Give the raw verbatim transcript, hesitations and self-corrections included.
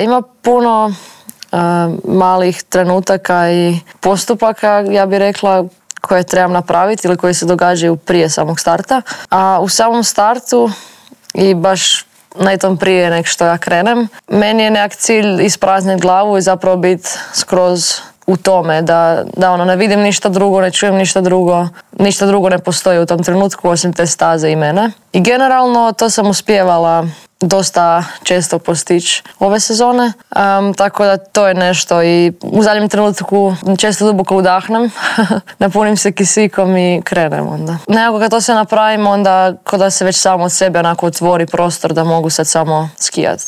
Ima puno uh, malih trenutaka i postupaka, ja bih rekla, koje trebam napraviti ili koje se događaju prije samog starta. A u samom startu i baš netom prije nek što ja krenem, meni je nekak cilj isprazniti glavu i zapravo biti skroz u tome, da, da ono, ne vidim ništa drugo, ne čujem ništa drugo, ništa drugo ne postoji u tom trenutku osim te staze i mene. I generalno to sam uspijevala dosta često postići ove sezone, um, tako da to je nešto i u zadnjem trenutku često duboko udahnem, napunim se kisikom i krenem onda. Nekako kad to sve napravim, onda ko da se već samo od sebe onako otvori prostor da mogu sad samo skijati.